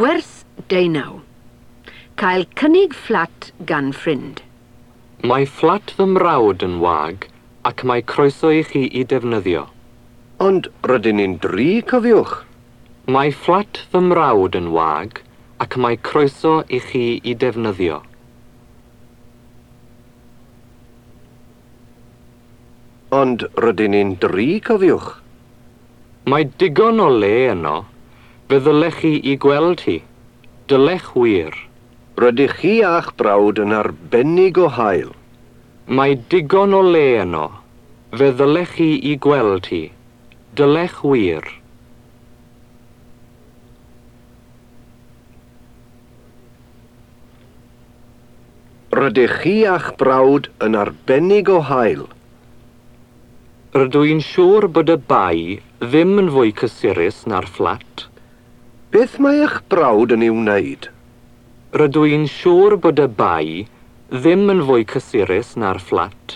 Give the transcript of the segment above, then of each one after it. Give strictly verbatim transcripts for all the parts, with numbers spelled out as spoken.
Gwers deunaw. Cael cynnig fflat gan ffrind. Mae fflat fy mrawd yn wag ac mae croeso i chi i defnyddio. Ond rydyn ni'n dri, cofiwch. Mae fflat fy mrawd yn wag ac mae croeso i chi i defnyddio. Ond rydyn ni'n dri, cofiwch. Mae digon o le yno. Fe ddylech chi i gweld hi. Dylech wir. Rydych chi a'ch brawd yn arbennig o hael. Mae digon o le yno. Fe ddylech chi i gweld hi. Dylech wir. Rydych chi a'ch brawd yn arbennig o hael. Rydw i'n siŵr bod y bai ddim yn fwy cysurus na'r fflat. Beth mae eich brawd yn ei wneud? Rydw i'n siŵr bod y bai ddim yn fwy cysurus na'r fflat.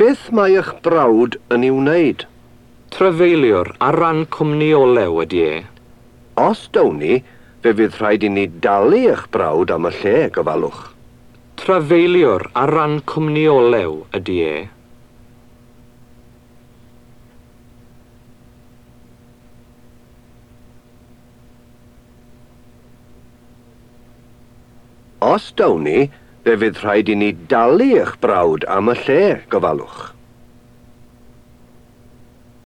Beth mae eich brawd yn ei wneud? Trefeiliwr ar ran cwmni olew ydy e. Os down ni, fe fydd rhaid i ni dalu eich brawd am y lle, gofalwch. Trefeiliwr ar ran cwmni olew ydy e. Os down ni, fe fydd rhaid i ni dalu eich brawd am y lle, gofalwch.